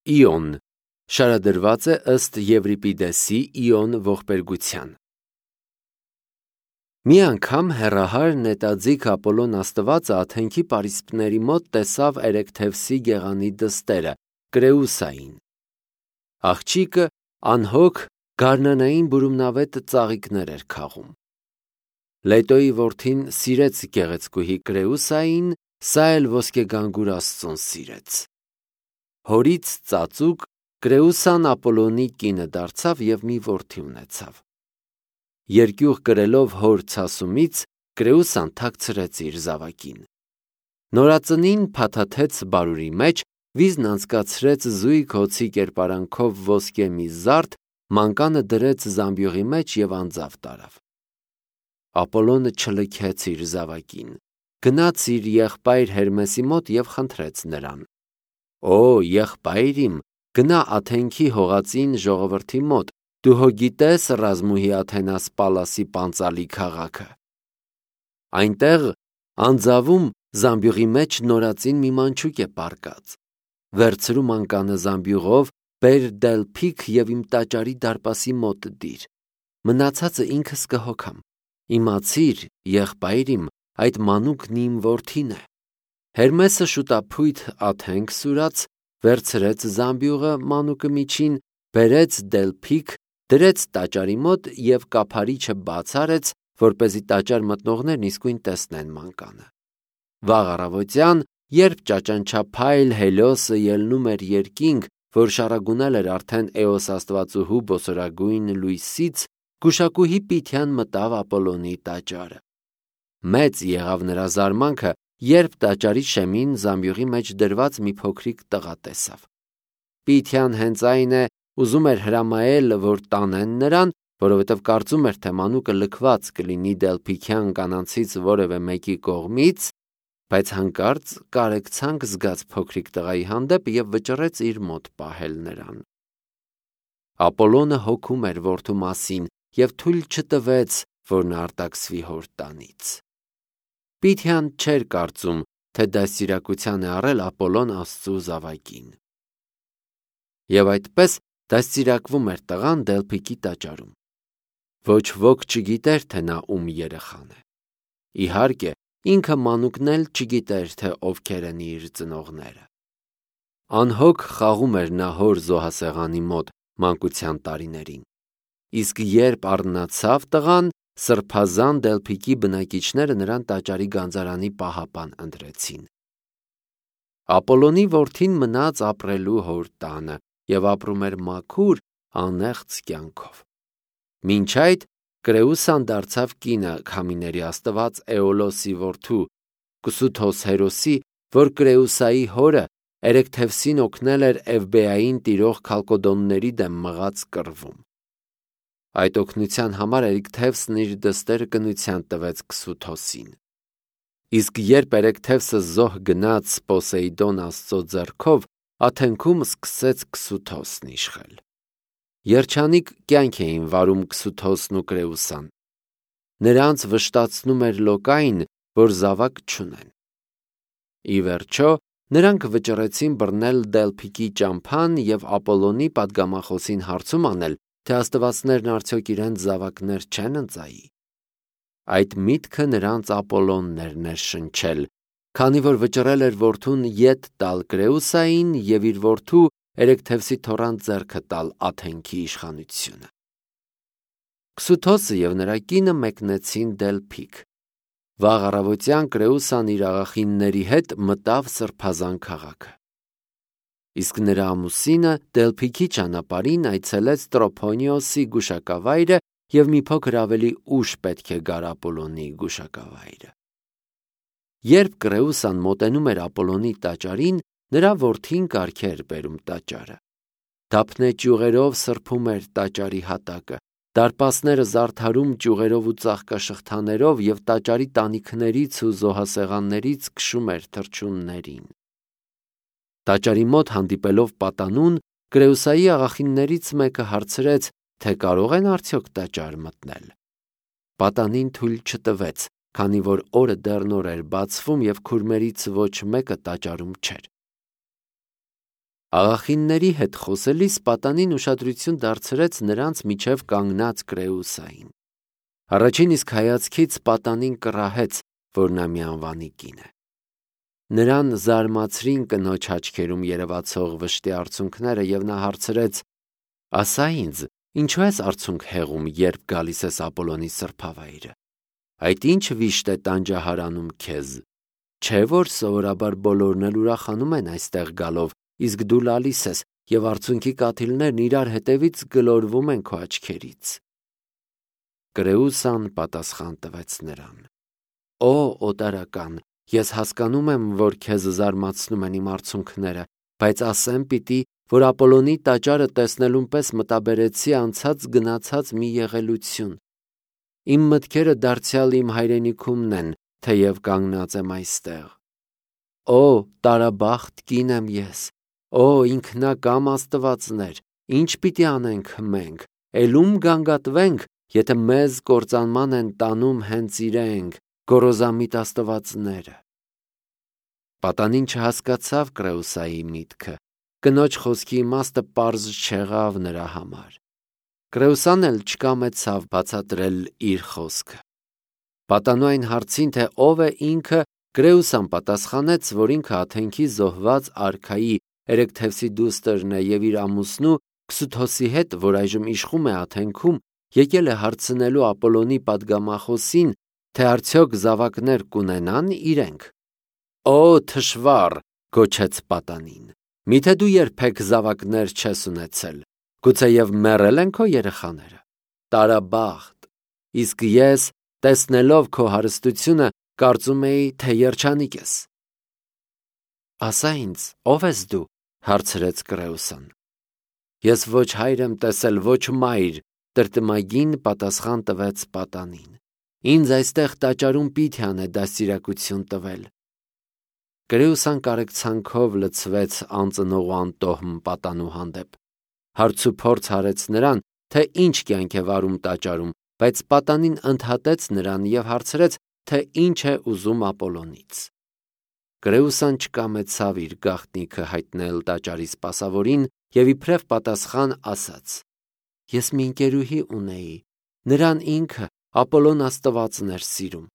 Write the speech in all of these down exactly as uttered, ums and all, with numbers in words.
Իոն շարադրված է ըստ Եվրիպիդեսի Իոն ողբերգության։ Մի անգամ հեռահար նետաձիգ Ապոլոն աստվածը Աթենքի պարիսպների մոտ տեսավ Էրեքթևսի գեղանի դստերը, Կրեուսային։ Աղջիկը անհոգ գարնանային բուրումնավետ ծաղիկներ էր քաղում։ Լետոյի որդին սիրեց գեղեցկուհի Կրեուսային, սա էլ ոսկեգանգուր Աստծուն սիրեց։ Հորից ծածուկ Կրեուսան Ապոլոնի կինը դարձավ և մի որդի ունեցավ։ Երկյուղ կրելով հոր ցասումից Կրեուսան թաքցրեց իր զավակին։ Նորածնին փաթաթեց բարուրի մեջ, վիզն անցկացրեց զույգ հոցի կերպարանքով ոսկե մի զարդ, մանկանը դրեց զամբյուղի մեջ և անձավ տարավ։ Ապոլոնը չլքեց իր զավակին, գնաց իր եղբայր Հերմեսի մոտ և խնդրեց նրան. «Օ, եղբայր իմ, գնա Աթենքի հողածին ժողովրդի մոտ, դու հո գիտես Ռազմուհի Աթենաս Պալասի պանծալի քաղաքը։ Այնտեղ անձավում զամբյուղի մեջ նորածին մի մանչուկ է պառկած։ Վերցրու մանկանը զամբյուղով, բեր դելփիք և իմ տաճարի դարպասի մոտ դիր։ Մնացածը ինքս կհոգամ։ Իմացիր, եղբայր իմ, այդ մանուկն իմ որդին է»։ Հերմեսը շուտափույթ Աթենք սուրաց, վերցրեց զամբյուղը մանուկը միջին, բերեց դելփիք, դրեց տաճարի մոտ և կափարիչը բաց արեց, որպեսզի տաճար մտնողներն իսկույն տեսնեն մանկանը։ Վաղ առավոտյան, երբ ճաճանչափայլ Հելիոսը ելնում էր երկինք, որ շառագունել էր արդեն Էոս աստվածուհու բոսորագույն լույսից, գուշակուհի Պիթյան մտավ Ապոլոնի տաճարը։ Մեծ եղավ նրա զարմանքը, երբ տաճարի շեմին զամբյուղի մեջ դրված մի փոքրիկ տղա տեսավ։ Պիթյան հենց այն է ուզում էր հրամայել, որ տանեն նրան, որովհետև կարծում էր, թե մանուկը լքված կլինի դելփիքյան կանանցից որևէ մեկի կողմից, բայց հանկարծ կարեկցանք զգաց փոքրիկ տղայի հանդեպ և վճռեց իր մոտ պահել նրան։ Ապոլոնը հոգում էր որդու մասին և թույլ չտվեց, որ նա արտաքսվի հոր տանից։ Պիթյան չէր կարծում, թե դաստիարակության է առել Ապոլոն Աստծու զավակին։ Եվ այդպես դաստիարակվում էր տղան դելփիքի տաճարում։ Ոչ ոք չգիտեր, թե նա ում երեխան է։ Իհարկե, ինքը մանուկն էլ չգիտեր, թե ովքեր են իր ծնողները։ Անհոգ խաղում էր նա հոր զոհասեղանի մոտ մանկության տարիներին։ Իսկ երբ արթնացավ տղան, սրբազան դելփիքի բնակիչները նրան տաճարի գանձարանի պահապան ընտրեցին։ Ապոլոնի որդին մնաց ապրելու հոր տանը և ապրում էր մաքուր, անեղծ կյանքով։ Մինչ այդ Կրեուսան դարձավ կինը քամիների աստված Էոլոսի որդու Կսութոս հերոսի, որ Կրեուսայի հորը Էրեքթևսին օգնել էր Էվբեային տիրող քալկոդոնների դեմ մղած կռվում։ Այդ օգնության համար Էրեքթևսն իր դստերը կնության տվեց Կսութոսին։ Իսկ երբ Էրեքթևսը զոհ գնաց Պոսեյդոն աստծո ձեռքով, Աթենքում սկսեց Կսութոսն իշխել։ Երջանիկ կյանք էին վարում Կսութոսն ու Կրեուսան։ Նրանց վշտացնում էր Լոկային, որ զավակ չունեն։ Ի վերջո, նրանք վճռեցին բռնել դելփիքի ճամփան և Ապոլոնի պատգամախոսին հարցում անել, թե աստվածներն արդյոք իրենց զավակներ չեն ընծայի։ Այդ միտքը նրանց Ապոլոնն էր ներշնչել, քանի որ վճռել էր որդուն ետ տալ Կրեուսային և իր որդու Էրեքթևսի թոռան ձեռքը տալ Աթենքի իշխանությունը։ Կսութոսը և նրա կինը մեկնեցին դելփիք։ Վաղ առավոտյան Կրեուսան իր աղախինների հետ մտավ սրբազան քաղաքը։ Իսկ նրա ամուսինը դելփիքի ճանապարհին այցելեց Տրոփոնիոսի գուշակավայրը և մի փոքր ավելի ուշ պետք է գար Ապոլոնի գուշակավայրը։ Երբ Կրեուսան մոտենում էր Ապոլոնի տաճարին, նրա որդին կարգ էր բերում տաճարը։ Դափնե ճյուղերով սրբում էր տաճարի հատակը, դարպասները զարդարում ճյուղերով ու ծաղկաշղթաներով և տաճարի տանիքներից ու զոհասեղաններից քշում էր թռչուններին։ Տաճարի մոտ հանդիպելով պատանուն, Կրեուսայի աղախիններից մեկը հարցրեց, թե կարող են արդյոք տաճար մտնել։ Պատանին թույլ չտվեց, քանի որ օրը դեռ նոր էր բացվում և քուրմերից ոչ մեկը տաճարում չէր։ Աղախինների հետ խոսելիս պատանին ուշադրություն դարձրեց նրանց միջև կանգնած Կրեուսային։ Առաջին իսկ հայացքից պատանին կռահեց, որ նա մի անվանի կին է։ Նրան զարմացրին կնոջ աչքերում երևացող վշտի արցունքները, և նա հարցրեց. «Ասա ինձ, ինչու ես արցունք հեղում, երբ գալիս ես Ապոլոնի սրբավայրը։ Այդ ինչ վիշտ է տանջահարանում քեզ։ Չէ՞ որ սովորաբար բոլորն էլ ուրախանում են այստեղ գալով, իսկ դու լալիս ես, և արցունքի կաթիլներն իրար հետևից գլորվում են քո աչքերից»։ Կրեուսան պատասխան տվեց նրան. «Օ օտարական, ես հասկանում եմ, որ քեզ զարմացնում են իմ արցունքները, բայց ասեմ պիտի, որ Ապոլոնի տաճարը տեսնելուն պես մտաբերեցի անցած գնացած մի եղելություն։ Իմ մտքերը դարձյալ իմ հայրենիքումն են, թեև կանգնած եմ այստեղ։ Օ տարաբախտ կին եմ ես, օ ինքնակամ աստվածներ, ինչ պիտի անենք մենք, էլ ում գանգատվենք, եթե մեզ կործանման են տանում հենց իրենք, գոռոզամիտ աստվածները»։ Պատանին չհասկացավ Կրեուսայի միտքը, կնոջ խոսքի իմաստը պարզ չեղավ նրա համար։ Կրեուսան էլ չկամեցավ բացատրել իր խոսքը։ Պատանու այն հարցին, թե ով է ինքը, Կրեուսան պատասխանեց, որ ինքը Աթենքի զոհված արքայի Էրեքթևսի դուստրն է և իր ամուսնու Քսութոսի հետ, որ այժմ իշխում է Աթենքում, եկել է հարցնելու Ապոլոնի պատգամախոսին, թե արդյոք զավակներ կունենան իրենք։ «Օ թշվառ», գոչեց պատանին, «միթե դու երբեք զավակներ չես ունեցել, գուցեև մեռել են քո երեխաները։ Տարաբախտ, իսկ ես, տեսնելով քո հարստությունը, կարծում էի, թե երջանիկ ես»։ «Ասա ինձ, ով ես դու», հարցրեց Կրեուսան։ «Ես ոչ հայր եմ տեսել, ոչ մայր», տրտմագին պատասխան տվեց պատանին։ «Ինձ այստեղ տաճարում Պիթիան է դաստիարակություն տվել»։ Կրեուսան կարեկցանքով լցվեց անծնող ու անտոհմ պատանու հանդեպ։ Հարցուփորձ արեց նրան, թե ինչ կյանք է վարում տաճարում, բայց պատանին ընդհատեց նրան և հարցրեց, թե ինչ է ուզում Ապոլոնից։ Կրեուսան չկամեցավ իր գաղտնիքը հայտնել տաճարի սպասավորին և իբրև պատասխան ասաց. «Ես մի ընկերուհի ունեի, նրան ինքը Ապոլոն աստվածն էր սիրում,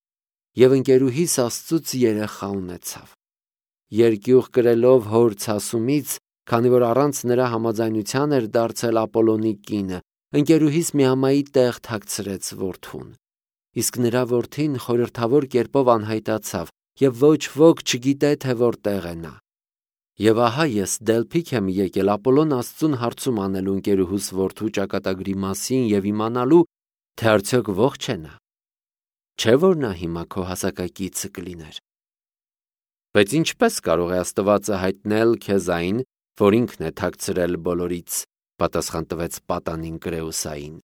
և ընկերուհիս Աստծուց երեխա ունեցավ։ Երկյուղ կրելով հոր ցասումից, քանի որ առանց նրա համաձայնության էր դարձել Ապոլոնի կինը, ընկերուհիս միամայի տեղ թաքցրեց որդուն։ Իսկ նրա որդին խորհրդավոր կերպով անհայտացավ, և ոչ ոք չգիտե, թե որտեղ է նա։ Եվ ահա ես Դելփիք եմ եկել Ապոլոն Աստծուն հարցում անելու ընկերուհուս որդու ճակատագրի մասին և իմանալու, թե արդյոք ողջ է նա։ Չէ՞ որ նա հիմա քո հասակակիցը կլիներ։ Բայց ինչպե՞ս կարող է Աստվածը հայտնել քեզ այն, որ ինքն է թաքցրել բոլորից, պատասխան տվեց պատանին Կրեուսային։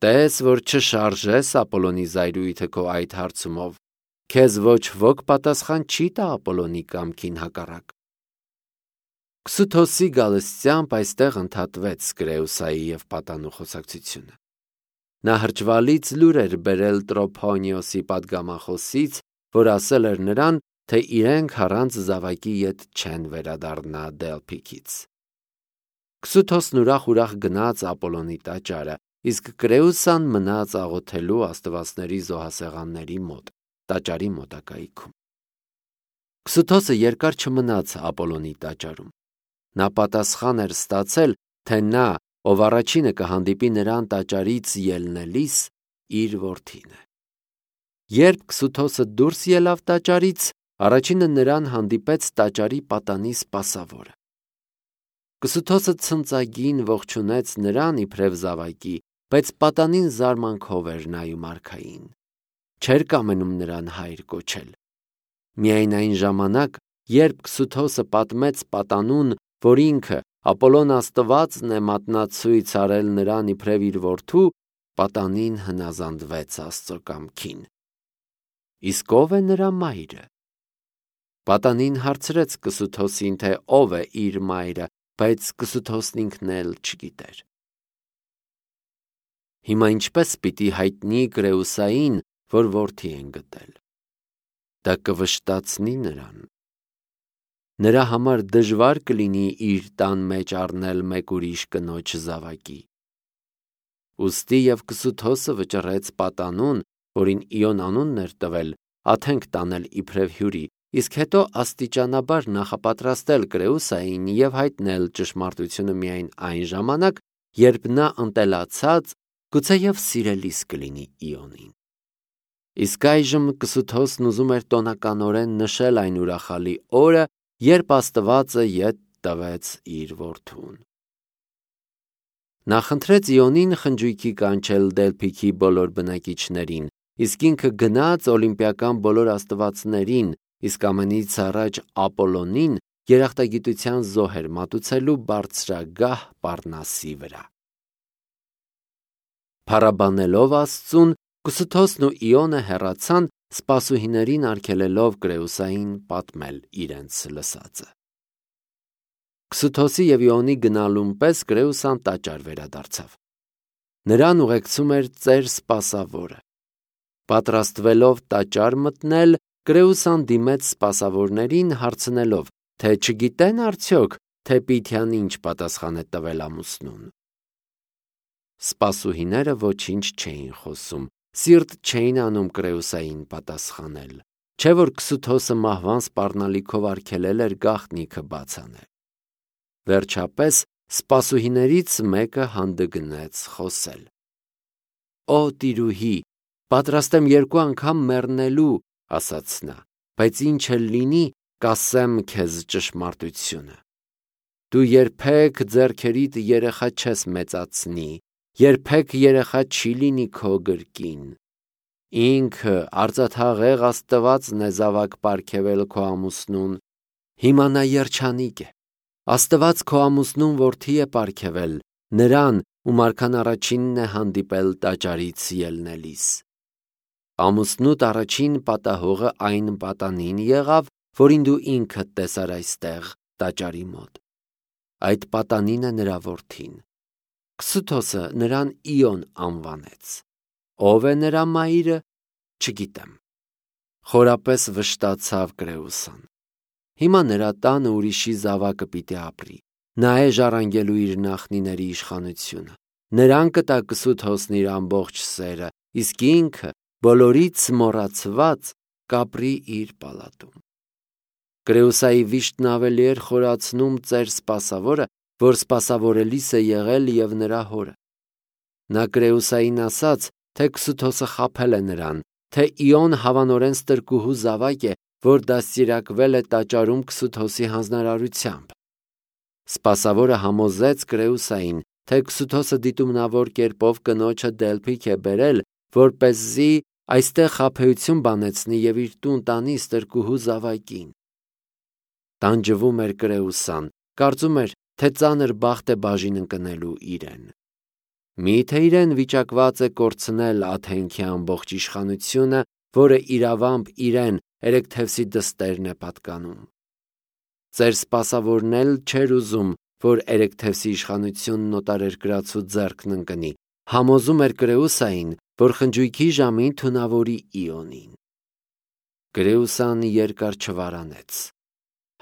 Տես, որ չշարժես Ապոլոնի զայրույթը քո այդ հարցումով, քեզ ոչ ոք պատասխան չի տա Ապոլոնի կամքին հակառակ։ Քսութոսի գալստյամբ այստեղ ընդհատվեց Կրեուսայի և պատանու խոսակցությունը։ Նա հրճվալից լուր էր բերել Տրոփոնիոսի պատգամախոսից, որ ասել էր նրան, թե իրենք առանց զավակի ետ չեն վերադառնա Դելփիքից։ Քսութոսն ուրախ-ուրախ գնաց Ապոլոնի տաճարը, իսկ Կրեուսան մնաց աղոթելու աստվածների զոհասեղանների մոտ, տաճարի մոտակայքում։ Քսութոսը երկար չմնաց Ապոլոնի տաճարում։ Նա պատասխան էր ստացել, թե նա, ով առաջինը կհանդիպի նրան տաճարից ելնելիս, իր որդին է։ Երբ Քսութոսը դուրս ելավ տաճարից, առաջինը նրան հանդիպեց տաճարի պատանի սպասավորը։ Քսութոսը ցնծագին ողջունեց նրան իբրև զավակի, բայց պատանին զարմանքով էր նայում արքային։ Չէր կամենում նրան հայր կոչել։ Միայն այն ժամանակ, երբ Քսութոսը պատմեց պատանուն, որ ինքը Ապոլոն աստվածն է մատնացույց արել նրան իբրև իր որդու, պատանին հնազանդվեց Աստծո կամքին։ Իսկ ո՞վ է նրա մայրը։ Պատանին հարցրեց Քսութոսին, թե ով է իր մայրը, բայց Քսութոսն ինքն էլ չգիտեր։ Հիմա ինչպես պիտի հայտնի Կրեուսային, որ որդի են գտել։ Դա կվշտացնի նրան։ նրա համար դժվար կլինի իր տան մեջ առնել մեկ ուրիշ կնոջ զավակի։ Ուստի և Կսութոսը վճռեց պատանուն, որին Իոն անունն էր տվել, աթենք տանել իբրև հյուրի, իսկ հետո աստիճանաբար նախապատրաստել Կրեուսային և հայտնել ճշմարտությունը միայն այն ժամանակ, երբ նա ընտելացած, գուցեև սիրելիս կլինի Իոնին։ Իսկ այժմ Կսութոսն ուզում էր տոնականորեն նշել այն ուրախալի օրը, երբ Աստվածը ետ տվեց իր որդուն։ Նա խնդրեց Իոնին խնջույքի կանչել Դելփիքի բոլոր բնակիչներին, իսկ ինքը գնաց օլիմպիական բոլոր աստվածներին, իսկ ամենից առաջ Ապոլոնին երախտագիտության զոհեր մատուցելու բարձրագահ Պառնասի վրա։ Փառաբանելով Աստծուն, Կսութոսն ու Իոնը հեռացան, սպասուհիներին արգելելով Կրեուսային պատմել իրենց լսածը։ Կսութոսի և Իոնի գնալուն պես Կրեուսան տաճար վերադարձավ։ Նրան ուղեկցում էր ծեր սպասավորը։ Պատրաստվելով տաճար մտնել, Կրեուսան դիմեց սպասավորներին հարցնելով, թե չգիտեն արդյոք, թե Պիթյան ինչ պատասխան է տվել ամուսնուն։ Սպասուհիները ոչինչ չէին խոսում, սիրտ չէին անում Կրեուսային պատասխանել, չէ որ Կսութոսը մահվան սպառնալիքով արգելել էր գաղտնիքը բաց անել։ Վերջապես սպասուհիներից մեկը հանդգնեց խոսել. «Օ տիրուհի, պատրաստ եմ երկու անգամ մեռնելու», ասաց նա, «բայց ինչ էլ լինի, կասեմ քեզ ճշմարտությունը։ Դու երբեք ձեռքերիդ երեխա չես մեծացնի, երբեք երեխա չի լինի քո գրկին։ Ինքը արծաթաղեղ Աստվածն է զավակ պարգևել քո ամուսնուն, հիմա նա երջանիկ է։ Աստված քո ամուսնուն որդի է պարգևել, նրան, ում արքան առաջինն է հանդիպել տաճարից ելնելիս։ Ամուսնուդ առաջին պատահողը այն պատանին եղավ, որին դու ինքդ տեսար այստեղ տաճարի մոտ։ Այդ պատանին է նրա որդին։ Կսութոսը նրան Իոն անվանեց։ Ով է նրա մայրը, չգիտեմ։ Խորապես վշտացավ Կրեուսան։ Հիմա նրա տանը ուրիշի զավակը պիտի ապրի։ Նա է ժառանգելու իր նախնիների իշխանությունը։ Նրան կտա Կսութոսն իր ամբողջ սերը, իսկ ինքը, բոլորից մոռացված, կապրի իր պալատում։ Կրեուսայի վիշտն ավելի էր խորացնում ծեր սպասավորը, որ սպասավորելիս է եղել և նրա հորը։ Նա Կրեուսային ասաց, թե Կսութոսը խաբել է նրան, թե Իոն հավանորեն ստրկուհու զավակ է, որ դաստիարակվել է տաճարում Կսութոսի հանձնարարությամբ։ Սպասավորը համոզեց Կրեուսային, թե Կսութոսը դիտումնավոր կերպով կնոջը Դելփիք է բերել, որպեսզի այստեղ խաբեություն բանեցնի և իր տուն տանի ստրկուհու զավակին։ Տանջվում էր Կրեուսան, կարծում էր, թե ծանր բախտ է բաժին ընկնելու իրեն։ Մի՞թե իրեն վիճակված է կորցնել Աթենքի ամբողջ իշխանությունը, որը իրավամբ իրեն Էրեքթևսի դստերն է պատկանում։ Ծեր սպասավորն էլ չէր ուզում, որ Էրեքթևսի իշխանությունն օտարերկրացու ձեռքն ընկնի, համոզում էր Կրեուսային, որ խնջույքի ժամին թունավորի Իոնին։ Կրեուսան երկար չվարանեց,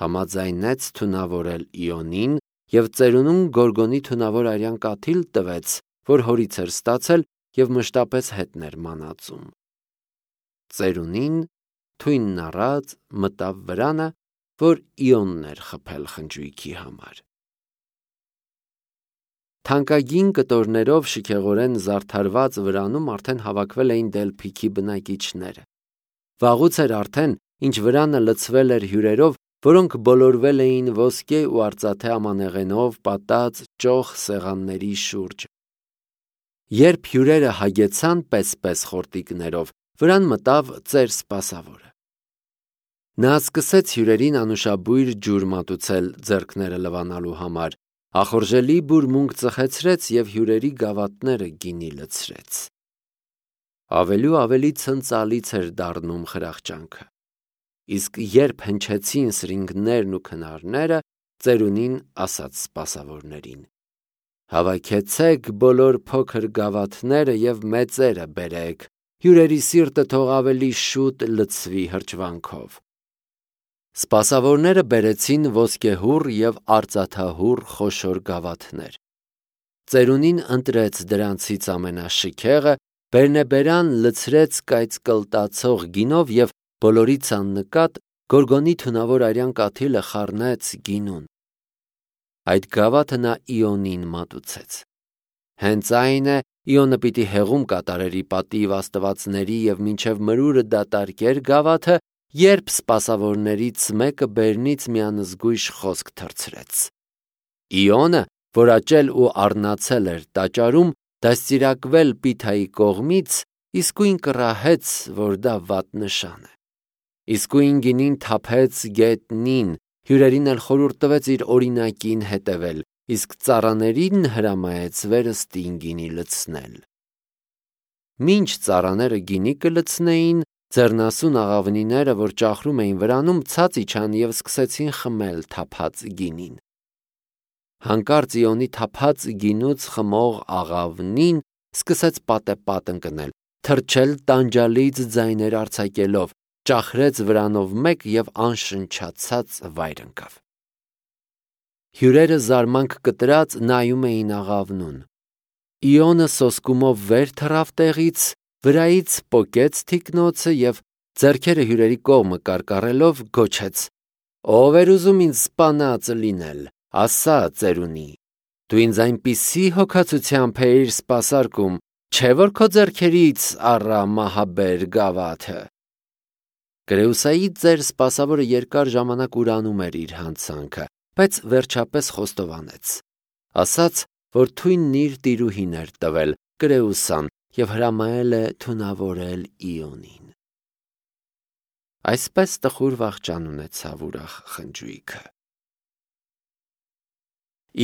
համաձայնեց թունավորել Իոնին և ծերունուն Գորգոնի թունավոր արյան կաթիլ տվեց, որ հորից էր ստացել և մշտապես հետն էր մանածում։ Ծերունին թույնն առած մտավ վրանը, որ Իոնն էր խփել խնջույքի համար։ Թանկագին կտորներով շքեղորեն զարդարված վրանում արդեն հավաքվել էին Դելփիքի բնակիչները։ Վաղուց էր արդեն, ինչ վրանը լցվել էր հյուրերով, որոնք բոլորվել էին ոսկե ու արծաթե ամանեղենով պատած ճոխ սեղանների շուրջ։ Երբ հյուրերը հագեցան պես-պես խորտիկներով, վրան մտավ ծեր սպասավորը։ Նա սկսեց հյուրերին անուշաբույր ջուր մատուցել ձեռքները լվանալու համար, ախորժելի բուրմունք ծխեցրեց և հյուրերի գավաթները գինի լցրեց։ Ավելի ու ավելի ցնծալից էր դառնում խրախճանքը։ Իսկ երբ հնչեցին սրինգներն ու քնարները, ծերունին ասաց սպասավորներին. «Հավաքեցեք բոլոր փոքր գավաթները և մեծերը բերեք, հյուրերի սիրտը թող ավելի շուտ լցվի հրճվանքով»։ Սպասավորները բերեցին ոսկեհուռ և արծաթահուռ խոշոր գավաթներ։ Ծերունին ընտրեց դրանցից ամենաշքեղը, բերնեբերան լցրեց կայծկլտացող գինով և բոլորից աննկատ գորգոնի թունավոր արյան կաթիլը խառնեց գինուն։ Այդ գավաթը նա Իոնին մատուցեց։ Հենց այն է, Իոնը պիտի հեղում կատարեր ի պատիվ աստվածների և մինչև մրուրը դատարկեր գավաթը, երբ սպասավորներից մեկը բերնից մի անզգույշ խոսք թռցրեց։ Իոնը, որ աճել ու առնացել էր տաճարում, դաստիարակվել Պիթայի կողմից, իսկույն կռահեց, որ դա վատ նշան է։ Իսկույն գինին թափեց գետնին, հյուրերին էլ խորհուրդ տվեց իր օրինակին հետևել, իսկ ծառաներին հրամայեց վերստին գինի լցնել։ Մինչ ծառաները գինի կլցնեին, ձեռնասուն աղավնիները, որ ճախրում էին վրանում, ցած իջան և սկսեցին խմել թափած գինին։ Հանկարծ Իոնի թափած գինուց խմող աղավնին սկսեց պատեպատ ընկնել, թռչել տանջալից ձայներ արձակելով, ճախրեց վրանով մեկ և անշնչացած վայր ընկավ։ Հյուրերը զարմանք կտրած նայում էին աղավնուն։ Իոնը սոսկումով վեր թռավ տեղից, վրայից պոկեց թիկնոցը և ձեռքերը հյուրերի կողմը կարկառելով գոչեց. «Ով էր ուզում ինձ սպանած լինել, ասա ծերունի, դու ինձ այնպիսի հոգացությամբ էիր սպասարկում, չէ՞ որ քո ձեռքերից առա մահաբեր գավաթը»։ Կրեուսայի ծեր սպասավորը երկար ժամանակ ուրանում էր իր հանցանքը, բայց վերջապես խոստովանեց, ասաց, որ թույնն իր տիրուհին էր տվել, Կրեուսան, և հրամայել է թունավորել Իոնին։ Այսպես տխուր վախճան ունեցավ ուրախ խնջույքը։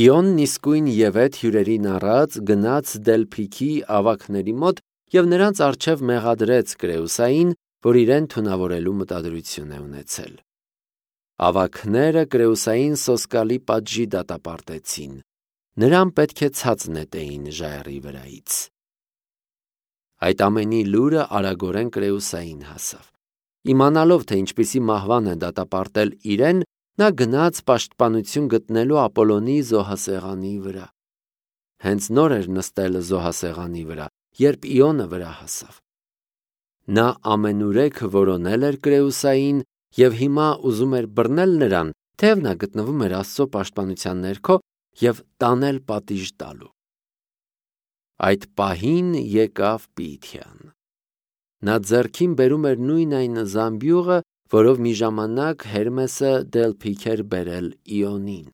Իոնն իսկույն ևեթ հյուրերին առած գնաց Դելփիքի ավագների մոտ և նրանց առջև մեղադրեց Կրեուսային, որ իրեն թունավորելու մտադրություն է ունեցել։ Ավագները Կրեուսային սոսկալի պատժի դատապարտեցին, նրան պետք է ցած նետեին ժայռի վրայից։ Այդ ամենի լուրը արագորեն Կրեուսային հասավ։ Իմանալով, թե ինչպիսի մահվան են դատապարտել իրեն, նա գնաց պաշտպանություն գտնելու Ապոլոնի զոհասեղանի վրա։ Հենց նոր էր նստել զոհասեղանի վրա, երբ Իոնը վրա հասավ։ Նա ամենուրեք որոնել էր Կրեուսային և հիմա ուզում էր բռնել նրան, թեև նա գտնվում էր Աստծո պաշտպանության ներքո, և տանել պատիժ տալու։ Այդ պահին եկավ Պիթիան։ Նա ձեռքին բերում էր նույն այն զամբյուղը, որով մի ժամանակ Հերմեսը Դելփիք էր բերել Իոնին։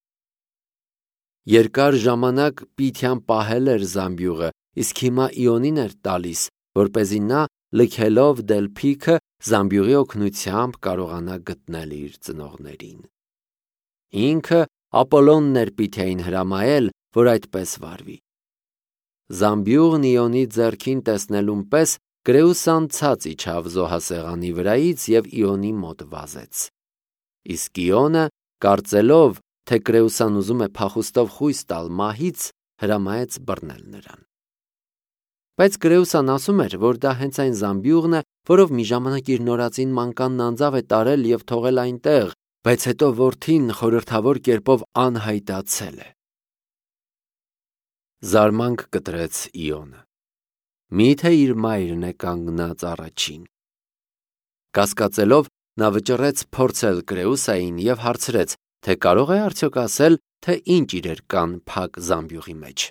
Երկար ժամանակ Պիթիան պահել էր զամբյուղը, իսկ հիմա Իոնին էր տալիս, որպեսզի նա, լքելով Դելփիքը, զամբյուղի օգնությամբ կարողանա գտնել իր ծնողներին։ Ինքը Ապոլոնն էր Պիթիային հրամայել, որ այդպես վարվի։ Զամբյուղն Իոնի ձեռքին տեսնելուն պես Կրեուսան ցած իջավ զոհասեղանի վրայից և Իոնի մոտ վազեց։ Իսկ Իոնը, կարծելով, թե Կրեուսան ուզում է փախուստով խույս տալ մահից, հրամայեց բռնել նրան։ Բայց Կրեուսան ասում էր, որ դա հենց այն զամբյուղն է, որով մի ժամանակ իր նորածին մանկանն անձավ է տարել և թողել այնտեղ, բայց հետո որդին խորհրդավոր կերպով անհայտացել է։ Զարմանք կտրեց Իոնը։ Մի՞թե իր մայրն է կանգնած առաջին։ Կասկածելով, նա վճռեց փորձել Կրեուսային և հարցրեց, թե կարող է արդյոք ասել, թե ինչ իրեր կան փակ զամբյուղի մեջ։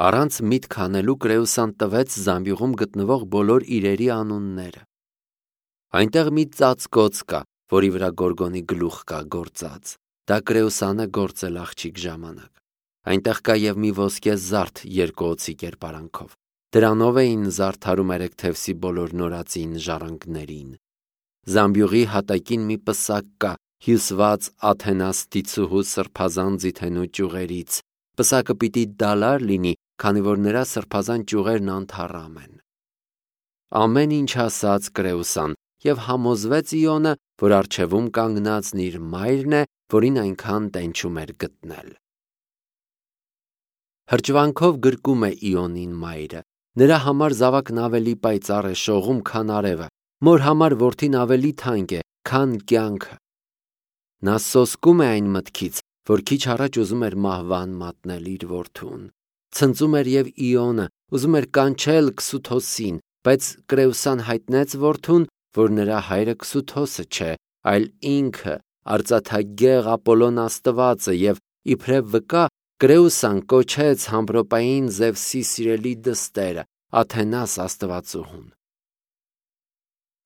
Առանց միտք հանելու Կրեուսան տվեց զամբյուղում գտնվող բոլոր իրերի անունները։ Այնտեղ մի ծածկոց կա, որի վրա Գորգոնի գլուխ կա գործած։ Դա Կրեուսանը գործել աղջիկ ժամանակ։ Այնտեղ կա և մի ոսկե զարդ երկու օձի կերպարանքով։ Դրանով էին զարդարում Էրեքթևսի բոլոր նորածին ժառանգներին։ Զամբյուղի հատակին մի պսակ կա, հյուսված Աթենաստիցուհու սրբազան ձիթենու ճյուղերից։ Պսակը պիտի դալար լինի, քանի որ նրա սրբազան ճյուղերն անթառամ են։ Ամեն ինչ ասաց Կրեուսան, և համոզվեց Իոնը, որ առջևում կանգնածն իր մայրն է, որին այնքան տենչում էր գտնել։ Հրճվանքով գրկում է Իոնին մայրը։ Նրա համար զավակն ավելի պայծառ է շողում, քան արևը, մոր համար որդին ավելի թանկ է, քան կյանքը։ Նա սոսկում է այն մտքից, որ քիչ առաջ ուզում էր մահվան մատնել իր որդուն։ Ցնծում էր և Իոնը, ուզում էր կանչել Քսութոսին, բայց Կրեուսան հայտնեց որդուն, որ նրա հայրը Քսութոսը չէ, այլ ինքը արծաթագեղ Ապոլոն աստվածը, և իբրև վկա Կրեուսան կոչեց համրոպային Զևսի սիրելի դստերը՝ Աթենաս աստվածուհուն։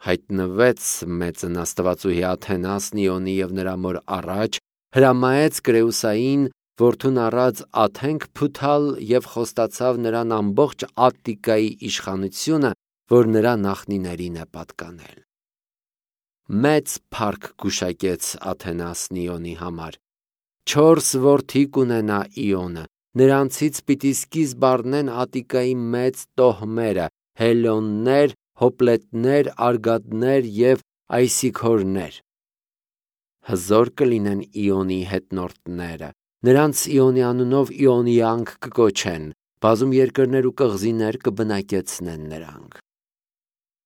Հայտնվեց մեծն աստվածուհի Աթենասն Իոնի և նրա մոր առաջ, հրամայեց Կրեուսային որդուն առած Աթենք փութալ և խոստացավ նրան ամբողջ Ատտիկայի իշխանությունը, որ նրա նախնիներին է պատկանել։ Մեծ փառք գուշակեց Աթենասն Իոնի համար։ Չորս որդի կունենա Իոնը, նրանցից պիտի սկիզբ առնեն Ատտիկայի մեծ տոհմերը՝ Հելոններ, Հոպլետներ, Արգադներ և Այսիքորներ։ Հզոր կլինեն Իոնի հետնորդները, նրանց Իոնի անունով Իոնյանք կկոչեն, բազում երկրներ ու կղզիներ կբնակեցնեն նրանք։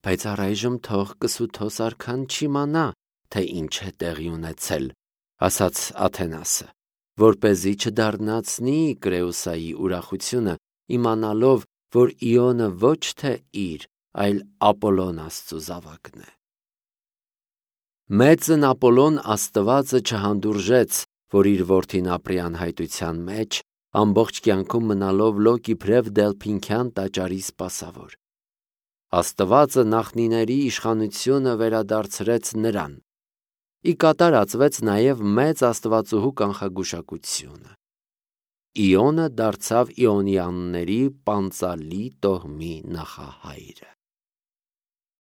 Բայց առայժմ թող Կսութոս արքան չիմանա, թե ինչ է տեղի ունեցել, ասաց Աթենասը, որպեսզի չդառնացնի Կրեուսայի ուրախությունը, իմանալով, որ Իոնը ոչ թե իր, այլ Ապոլոն աստծու զավակն է։ Մեծն Ապոլոն աստվածը չհանդուրժեց, որ իր որդին ապրի անհայտության մեջ, ամբողջ կյանքում մնալով լոկ իբրև Դելփինքյան տաճարի սպասավոր։ Աստվածը նախնիների իշխանությունը վերադարձրեց նրան։ Ի կատար ածվեց նաև մեծ աստվածուհու կանխագուշակությունը։ Իոնը դարձավ Իոնյանների պանծալի տոհմի նախահայրը։